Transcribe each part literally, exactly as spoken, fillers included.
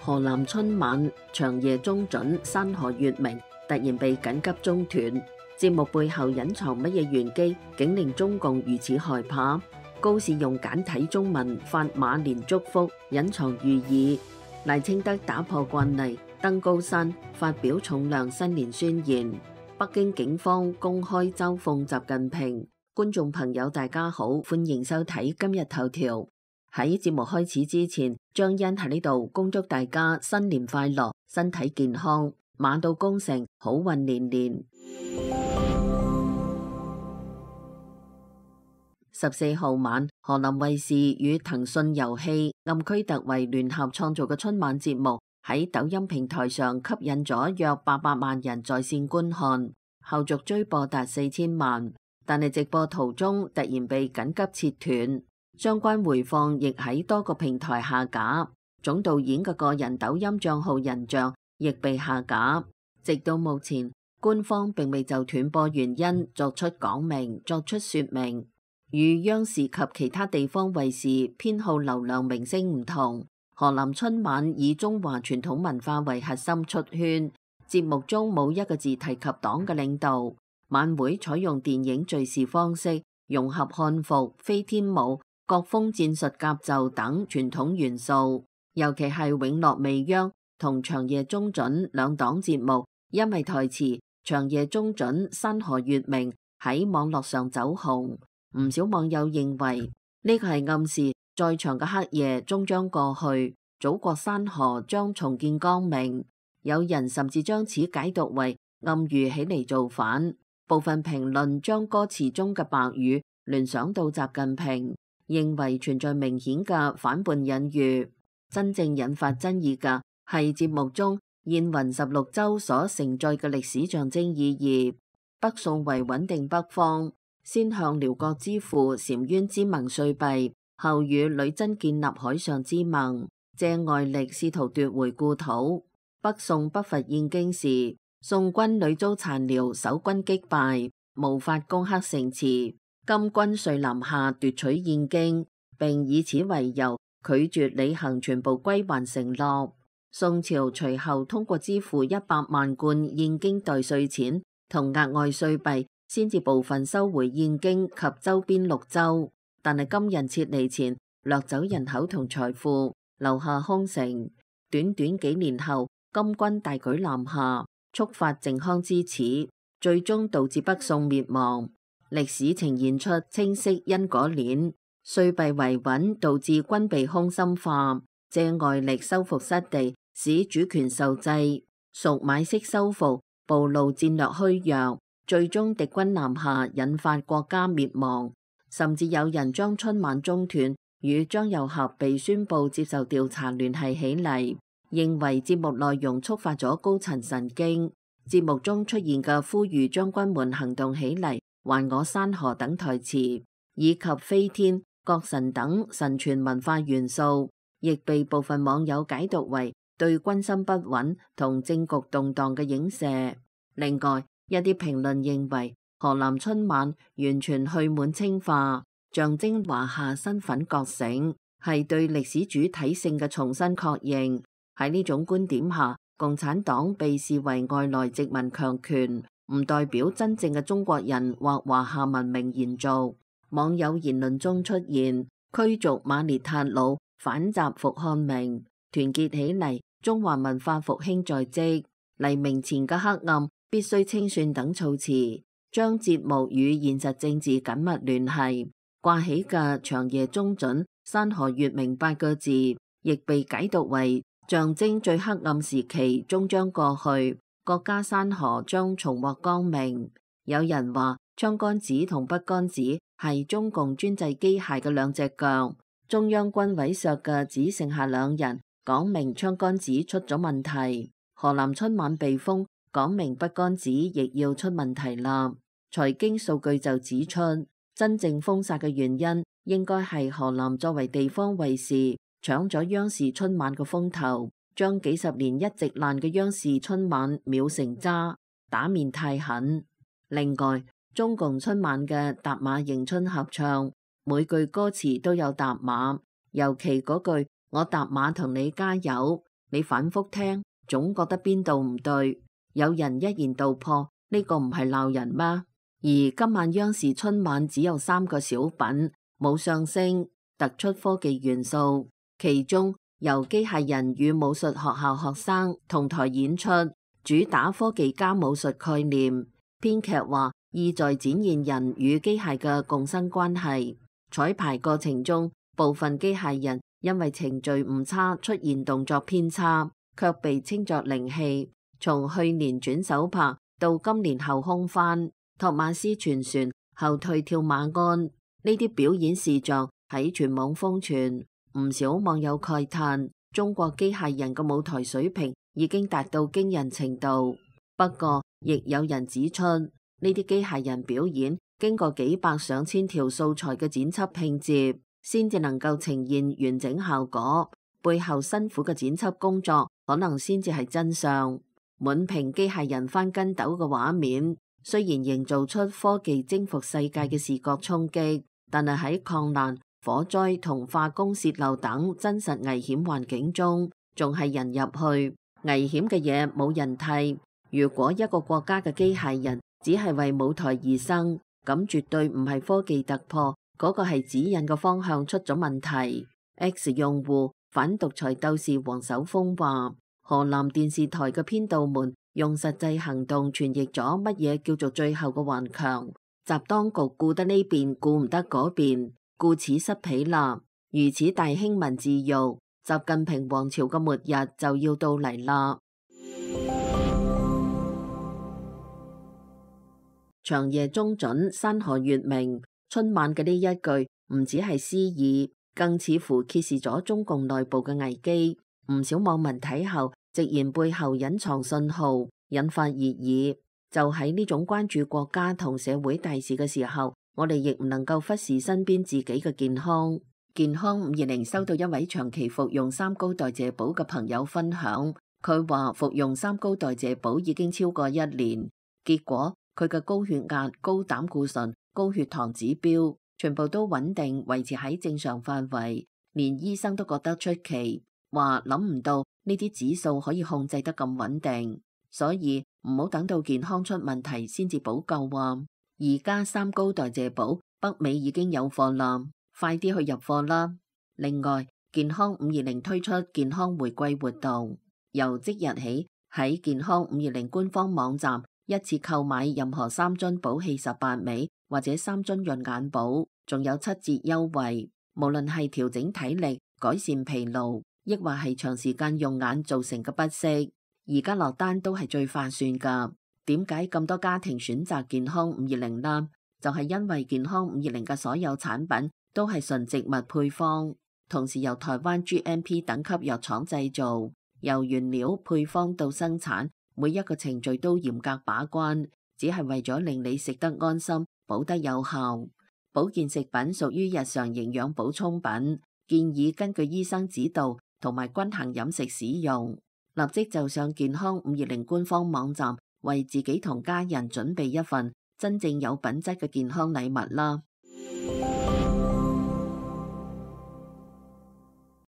河南春晚長夜中準，山河月明突然被緊急中斷，節目背後隱藏乜嘢玄機，竟令中共如此害怕？高士用簡體中文發馬年祝福，隱藏寓意。賴清德打破慣例，登高山發表重量新年宣言。北京警方公開嘲諷習近平。觀眾朋友大家好，歡迎收睇今日頭條。喺節目開始之前，張欣喺呢度恭祝大家新年快樂，身體健康，馬到功成，好運連連。十四號晚，河南衛視與騰訊遊戲暗區特為聯合創造嘅春晚節目喺抖音平台上吸引咗約八百萬人在線觀看，後續追播達四千萬。但係直播途中突然被緊急切斷，相關回放亦喺多個平台下架，總導演嘅個人抖音賬號人像亦被下架。直到目前，官方並未就斷播原因作出講明、作出說明。與央視及其他地方衛視偏好流量明星唔同，河南春晚以中華傳統文化為核心出圈，節目中冇一個字提及黨嘅領導。晚會採用電影敘事方式，融合漢服、飛天舞、國風戰術甲胄等傳統元素，尤其係永樂未央同長夜中準兩檔節目，因為台詞長夜中準山河月明喺網絡上走紅，唔少網友認為呢個係暗示再長嘅黑夜終將過去，祖國山河將重見光明。有人甚至將此解讀為暗喻起嚟造反。部分評論將歌詞中嘅白語聯想到習近平，認為存在明顯嘅反叛隱喻。真正引發爭議嘅係節目中燕雲十六州所承載嘅歷史象徵意義。北宋為穩定北方，先向遼國支付澶淵之盟歲幣，後與女真建立海上之盟，借外力試圖奪回故土。北宋北伐燕京時，宋軍屢遭殘遼守軍擊敗，無法攻克城池。金軍遂南下奪取燕京，並以此為由拒絕履行全部歸還承諾。宋朝隨後通過支付一百萬貫燕京代稅錢同額外稅幣，先至部分收回燕京及周邊六州。但係金人撤離前掠走人口同財富，留下空城。短短幾年後，金軍大舉南下，觸發靖康之恥，最終導致北宋滅亡。歷史呈現出清晰因果鏈，稅幣維穩導致軍備空心化，借外力收復失地，使主權受制，屬買式收復，暴露戰略虛弱，最終敵軍南下，引發國家滅亡。甚至有人將春晚中斷與張又俠被宣布接受調查聯繫起嚟，認為節目內容觸發咗高層神經。節目中出現嘅呼籲將軍們行動起嚟，還我山河等台詞，以及飛天、國神等神傳文化元素，亦被部分網友解讀為對軍心不穩同政局動盪嘅影射。另外，一啲評論認為河南春晚完全去滿清化，象徵華夏身份覺醒，係對歷史主體性嘅重新確認。喺呢種觀點下，共產黨被視為外來殖民強權，唔代表真正嘅中國人或華夏文明延續。網友言論中出現驅逐馬列塔魯、反習復漢明、團結起嚟、中華文化復興在即、黎明前嘅黑暗必須清算等措辭，將節目與現實政治緊密聯繫。掛起嘅長夜中準、山河月明八個字，亦被解讀為象徵最黑暗時期終將過去，國家山河將重獲光明。有人話槍桿子同筆桿子係中共專制機械嘅兩隻腳，中央軍委削嘅只剩下兩人，講明槍桿子出咗問題。河南春晚被封，講明筆桿子亦要出問題啦。財經數據就指出，真正封殺嘅原因應該係河南作為地方衛視搶咗央視春晚嘅風頭，將幾十年一直爛嘅央視春晚秒成渣，打面太狠。另外，中共春晚嘅踏馬迎春合唱，每句歌詞都有踏馬，尤其嗰句我踏馬同你加油，你反覆聽，總覺得邊度唔對。有人一言道破，呢個唔係鬧人嗎？而今晚央視春晚只有三個小品，冇相聲，突出科技元素。其中由機械人與武術學校學生同台演出，主打科技加武術概念。編劇話意在展現人與機械嘅共生關係。彩排過程中，部分機械人因為程序誤差出現動作偏差，卻被稱作靈氣。從去年轉手拍到今年後空翻托馬斯全旋後退跳馬鞍，呢啲表演視像喺全網瘋傳，唔少網友慨嘆中國機械人嘅舞台水平已經達到驚人程度。不過亦有人指出，呢啲機械人表演經過幾百上千條素材嘅剪輯拼接，先至能夠呈現完整效果，背後辛苦嘅剪輯工作可能先至係真相。滿屏機械人翻跟斗嘅畫面，雖然營造出科技征服世界嘅視覺衝擊，但係喺礦難、火災同化工洩漏等真實危險環境中，仲係人入去，危險嘅嘢冇人替。如果一個國家嘅機械人只係為舞台而生，咁絕對唔係科技突破，嗰個係指引嘅方向出咗問題。X 用戶反獨裁鬥士黃守峰話，河南電視台嘅編導們用實際行動傳譯咗乜嘢叫做最後嘅頑強，習當局顧得呢邊顧唔得嗰邊，顧此失彼啦。如此大興文字獄，習近平王朝嘅末日就要到嚟啦。長夜中準，山河月明。春晚嘅呢一句唔只係詩意，更似乎揭示咗中共內部嘅危機。唔少網民睇後直言背後隱藏信號，引發熱議。就喺呢種關注國家同社會大事嘅時候，我哋亦唔能夠忽視身邊自己嘅健康。健康五二零收到一位長期服用三高代謝寶嘅朋友分享，佢話服用三高代謝寶已經超過一年，結果佢嘅高血壓、高膽固醇、高血糖指標全部都穩定維持喺正常範圍，連醫生都覺得出奇。話諗唔到呢啲指數可以控制得咁穩定，所以唔好等到健康出問題先至補救啊！而家三高代謝寶北美已經有貨啦，快啲去入貨啦！另外，健康五二零推出健康回饋活動，由即日起喺健康五二零官方網站一次購買任何三樽寶氣十八味或者三樽潤眼寶，仲有七折優惠。無論係調整體力、改善疲勞，亦或係長時間用眼造成嘅不適，而家落單都係最划算噶。點解咁多家庭選擇健康五二零呢？就係因為健康五二零嘅所有產品都係純植物配方，同時由台灣 G M P 等級藥廠製造，由原料配方到生產，每一個程序都嚴格把關，只係為咗令你食得安心、補得有效。保健食品屬於日常營養補充品，建議根據醫生指導同埋均衡飲食使用。立即就上健康五二零官方網站，為自己同家人準備一份真正有品質嘅健康禮物啦！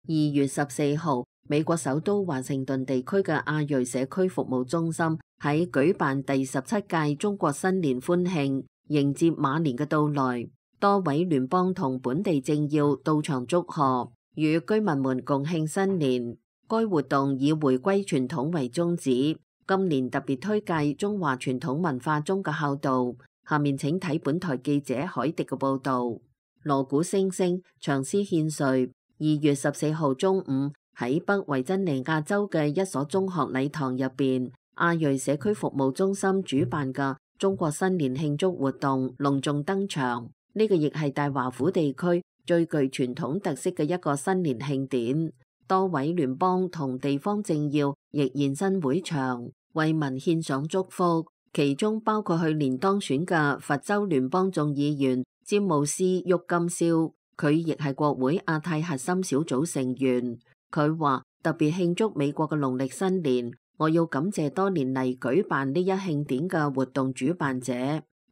二月十四號，美國首都華盛頓地區嘅亞裔社區服務中心喺舉辦第十七屆中國新年歡慶，迎接馬年嘅到來。多位聯邦同本地政要到場祝賀，與居民們共慶新年。該活動以回歸傳統為宗旨，今年特別推介中華傳統文化中嘅孝道。下面請睇本台記者海迪嘅報道。鑼鼓聲聲，唱詩獻瑞。二月十四號中午，喺北維珍尼亞州嘅一所中學禮堂入邊，亞裔社區服務中心主辦嘅中國新年慶祝活動隆重登場。呢個亦係大華府地區最具傳統特色嘅一個新年慶典。多位聯邦同地方政要亦現身會場，為民獻上祝福，其中包括去年當選嘅佛州聯邦眾議員詹姆斯郁金肖，佢亦係國會亞太核心小組成員。佢話特別慶祝美國嘅農曆新年，我要感謝多年嚟舉辦呢一慶典嘅活動主辦者。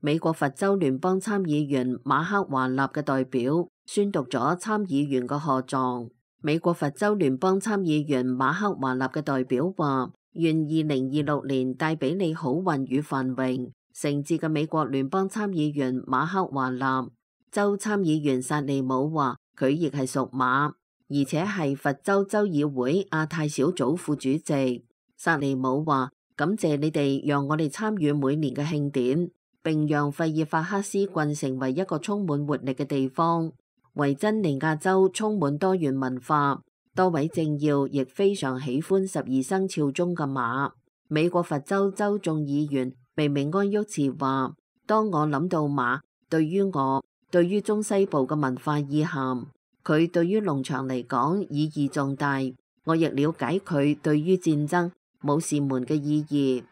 美國佛州聯邦參議員馬克華納嘅代表宣讀咗參議員嘅賀狀。美國佛州聯邦參議員馬克華納嘅代表話，願二零二六年帶俾你好運與繁榮。誠摯嘅美國聯邦參議員馬克華納。州參議員薩利姆話，佢亦係屬馬，而且係佛州州議會亞太小組副主席。薩利姆話，感謝你哋讓我哋參與每年嘅慶典，並讓費爾法克斯郡成為一個充滿活力嘅地方。維珍尼亞州充滿多元文化，多位政要亦非常喜歡十二生肖中嘅馬。美國佛州州眾議員微明安沃茨話，當我諗到馬，對於我，對於中西部嘅文化意涵，佢對於農場嚟講意義重大。我亦了解佢對於戰爭、武士們嘅意義。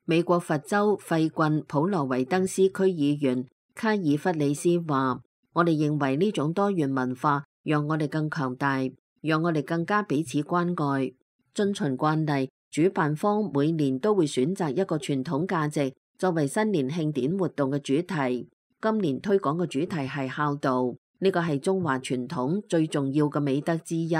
美國佛州費郡普羅維登斯區議員卡爾弗里斯話，我哋認為呢種多元文化讓我哋更強大，讓我哋更加彼此關愛。遵循慣例，主辦方每年都會選擇一個傳統價值作為新年慶典活動嘅主題。今年推廣嘅主題係孝道，呢個係中華傳統最重要嘅美德之一。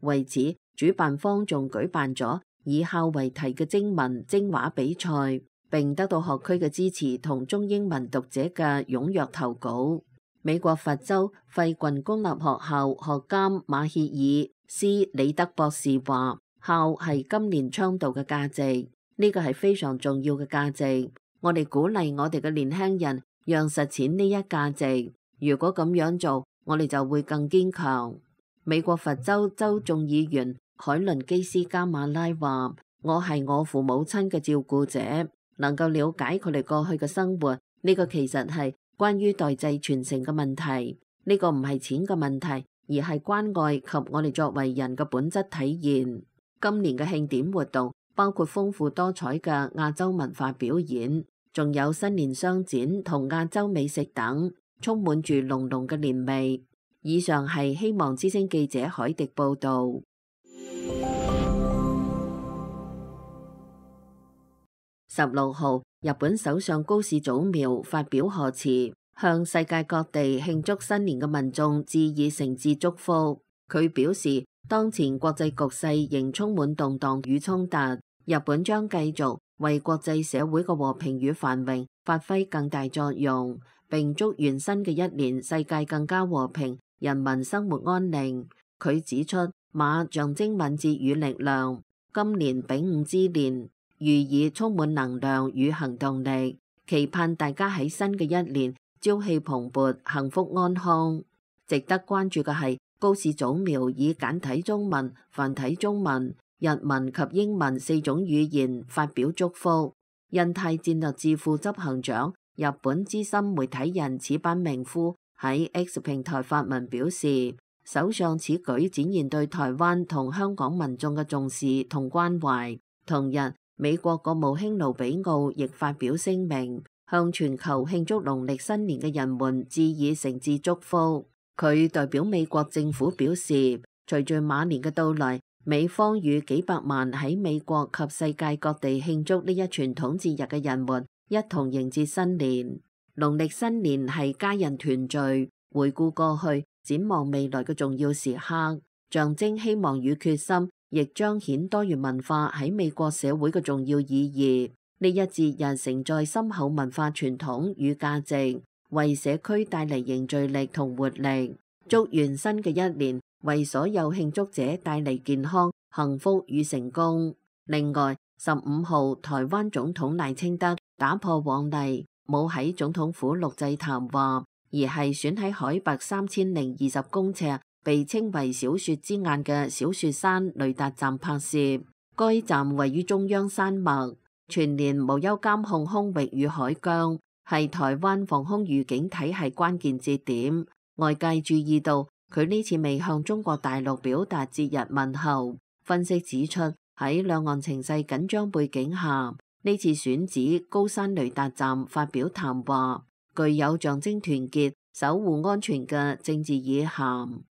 為此，主辦方仲舉辦咗以孝為題嘅徵文徵畫比賽，並得到學區嘅支持同中英文讀者嘅踴躍投稿。美國佛州費郡公立學校學監馬歇爾斯里德博士話，孝係今年倡導嘅價值，呢個係非常重要嘅價值。我哋鼓勵我哋嘅年輕人讓實踐呢一價值。如果咁樣做，我哋就會更堅強。美國佛州州眾議員海倫基斯加馬拉話，我係我父母親嘅照顧者，能夠了解佢哋過去嘅生活，呢個其實係關於代際傳承嘅問題。呢個唔係錢嘅問題，而係關愛及我哋作為人嘅本質體現。今年嘅慶典活動包括豐富多彩嘅亞洲文化表演，仲有新年商展同亞洲美食等，充滿住濃濃嘅年味。以上係希望之聲記者海迪報道。十六號，日本首相高市早苗發表賀詞，向世界各地慶祝新年嘅民眾致以誠摯祝福。佢表示，當前國際局勢仍充滿動盪與衝突，日本將繼續為國際社會嘅和平與繁榮發揮更大作用，並祝願新嘅一年世界更加和平，人民生活安寧。佢指出，馬象徵敏捷與力量，今年丙午之年，寓意充滿能量與行動力，期盼大家喺新嘅一年朝氣蓬勃、幸福安康。值得關注嘅係，高市早苗以簡體中文、繁體中文、日文及英文四種語言發表祝福。印太戰略智庫執行長、日本資深媒體人矢板明夫喺 X 平台發文表示，首相此舉展現對台灣同香港民眾嘅重視同關懷。同日，美國國務卿盧比奧亦發表聲明，向全球慶祝農曆新年嘅人們致以誠摯祝福。佢代表美國政府表示，隨住馬年嘅到來，美方與幾百萬喺美國及世界各地慶祝呢一傳統節日嘅人們一同迎接新年。農曆新年係家人團聚、回顧過去、展望未來嘅重要時刻，象徵希望與決心，亦彰顯多元文化喺美國社會嘅重要意義。呢一節日承載深厚文化傳統與價值，為社區帶嚟凝聚力同活力。祝願新嘅一年為所有慶祝者帶嚟健康、幸福與成功。另外，十五號台灣總統賴清德打破往例，冇喺總統府錄製談話，而係選喺海拔三千零二十公尺，被稱為小雪之眼嘅小雪山雷達站拍攝。該站位於中央山脈，全年無憂監控空域與海疆，係台灣防空預警體系關鍵節點。外界注意到佢呢次未向中國大陸表達節日問候。分析指出，喺兩岸情勢緊張背景下，呢次選址高山雷達站發表談話，具有象徵團結、守護安全嘅政治意涵。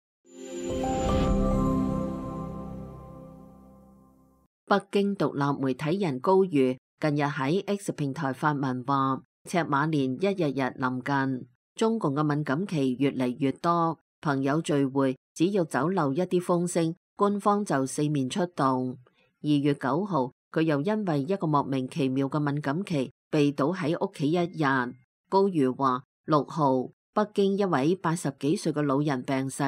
北京獨立媒體人高瑜近日喺 X 平台發文話，赤馬年一日日臨近，中共嘅敏感期越嚟越多，朋友聚會只要走漏一啲風聲，官方就四面出動。二月九號，佢又因為一個莫名其妙嘅敏感期被倒喺屋企一日。高瑜話，六號北京一位八十幾歲嘅老人病逝，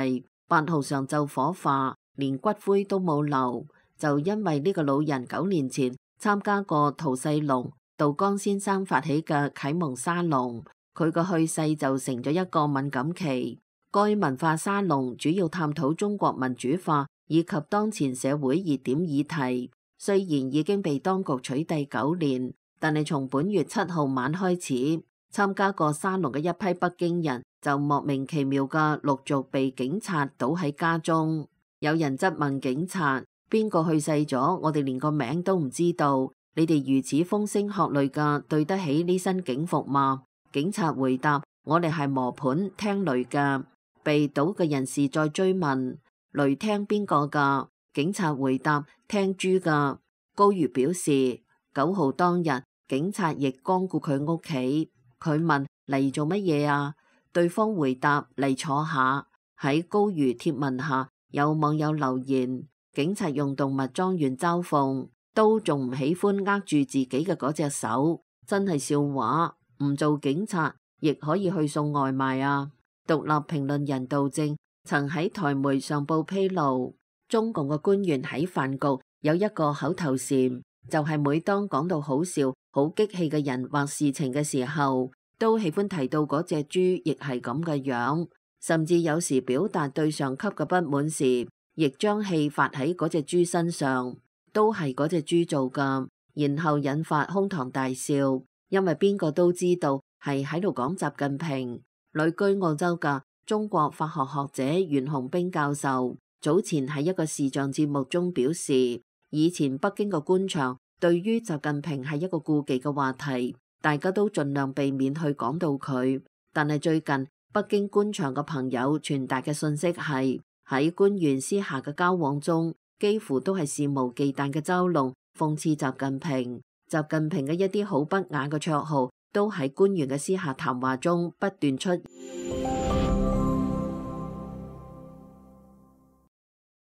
八號上晝火化，連骨灰都冇留，就因為呢個老人九年前參加過陶世龍、杜江先生發起嘅啟蒙沙龍，佢個去世就成咗一個敏感期。該文化沙龍主要探討中國民主化以及當前社會熱點議題。雖然已經被當局取締九年，但係從本月七號晚開始，參加過沙龍嘅一批北京人就莫名其妙嘅陸續被警察倒喺家中。有人質問警察：邊個去世咗？我哋連個名都唔知道，你哋如此風聲鶴唳嘅，對得起呢身警服嗎？警察回答：我哋係磨盤聽雷嘅。被倒嘅人士再追問：雷聽邊個噶？警察回答：聽豬噶。高瑜表示，九號當日警察亦光顧佢屋企。佢問嚟做乜嘢啊？對方回答嚟坐下。喺高瑜貼文下，有網友留言：警察用動物裝完嘲諷，都仲唔喜歡握住自己嘅嗰隻手，真係笑話。唔做警察亦可以去送外賣啊！獨立評論人杜正曾喺台媒上報披露，中共嘅官員喺飯局有一個口頭禪，就係每當講到好笑、好激氣嘅人或事情嘅時候，都喜歡提到嗰隻豬亦係咁嘅樣，甚至有時表達對上級嘅不滿時，亦將氣發喺嗰隻豬身上，都係嗰隻豬做㗎，然後引發哄堂大笑，因為邊個都知道係喺度講習近平。旅居澳洲嘅中國法學學者袁洪兵教授早前喺一個視像節目中表示，以前北京嘅官場對於習近平係一個顧忌嘅話題，大家都盡量避免去講到佢。但係最近北京官場嘅朋友傳達嘅信息係，喺官員私下嘅交往中，幾乎都係肆無忌憚嘅嘲弄、諷刺習近平。習近平嘅一啲好不雅嘅綽號都喺官員嘅私下談話中不斷出現。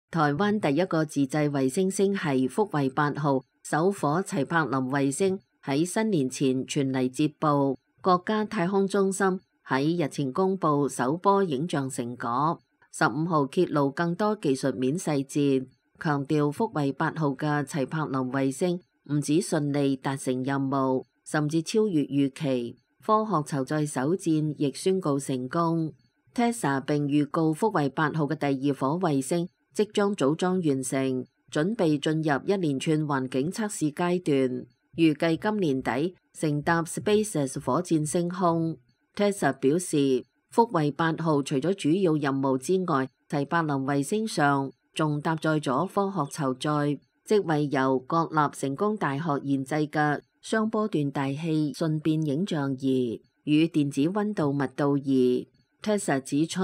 台灣第一個自製衛星星系福衛八號首顆齊柏林衛星喺新年前傳嚟捷報，國家太空中心喺日前公布首波影像成果，十五號揭露更多技術面細節，強調福衛八號嘅齊柏林衛星唔止順利達成任務，甚至超越預期，科學籌載首戰亦宣告成功。Tesla 並預告福衛八號嘅第二顆衛星即將組裝完成，準備進入一連串環境測試階段，預計今年底乘搭 SpaceX 火箭升空。Tesla 表示，福衛八號除咗主要任務之外，齊柏林衛星上仲搭載咗科學籌載，即為由國立成功大學研製嘅雙波段大氣瞬變影像儀與電子溫度密度儀。Tesla 指出，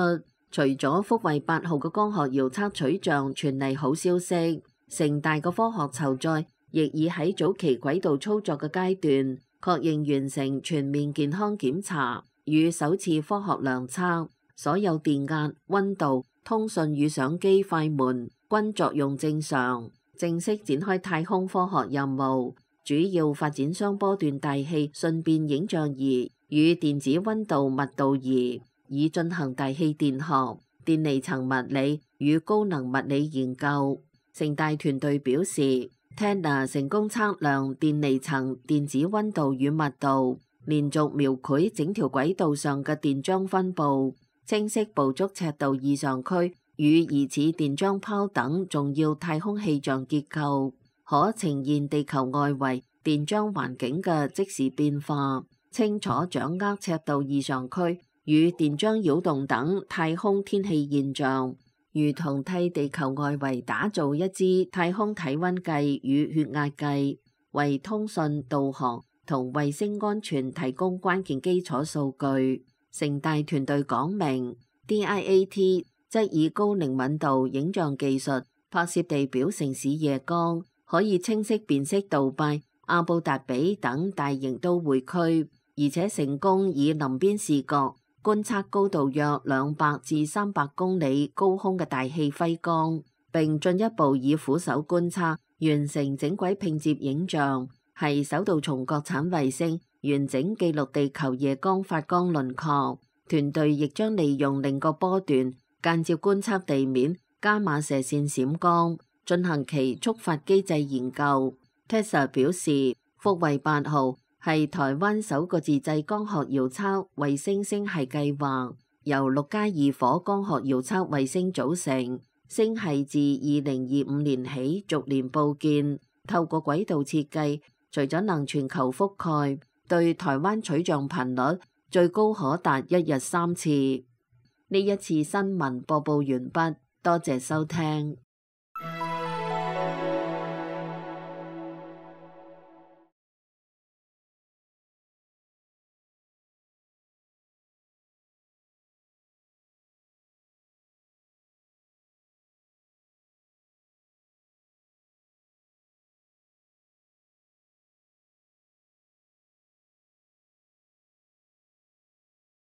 除咗福衛八號嘅光學遙測取像傳嚟好消息，成大嘅科學籌載亦已喺早期軌道操作嘅階段確認完成全面健康檢查與首次科學量測，所有電壓、溫度、通訊與相機快門均作用正常，正式展開太空科學任務，主要發展雙波段大氣瞬變影像儀與電子溫度密度儀，以進行大氣電學、電離層物理與高能物理研究。成大團隊表示 ，Tesla 成功測量電離層、電子溫度與密度，連續描繪整條軌道上嘅電漿分布，清晰捕捉赤道異常區與疑似電漿泡等重要太空氣象結構，可呈現地球外圍電漿環境嘅即時變化，清楚掌握赤道異常區與電漿擾動等太空天氣現象，如同替地球外圍打造一支太空體溫計與血壓計，為通訊、導航同衛星安全提供關鍵基礎數據。成大團隊講明 ，D I A T 則以高靈敏度影像技術拍攝地表城市夜光，可以清晰辨識杜拜、阿布達比等大型都會區，而且成功以臨邊視覺觀測高度約兩百至三百公里高空嘅大氣輝光，並進一步以俯手觀測完成整軌拼接影像，係首度從國產衛星完整記錄地球夜光發光輪廓。團隊亦將利用另個波段間接觀測地面伽馬射線閃光，進行其觸發機制研究。T E S A 表示，福衛八號係台灣首個自製光學遙測衛星星系計劃，由六加二火光學遙測衛星組成。星系自二零二五年起逐年佈建，透過軌道設計，除咗能全球覆蓋，對台灣取像頻率最高可達一日三次。呢一次新聞播報完畢，多謝收聽。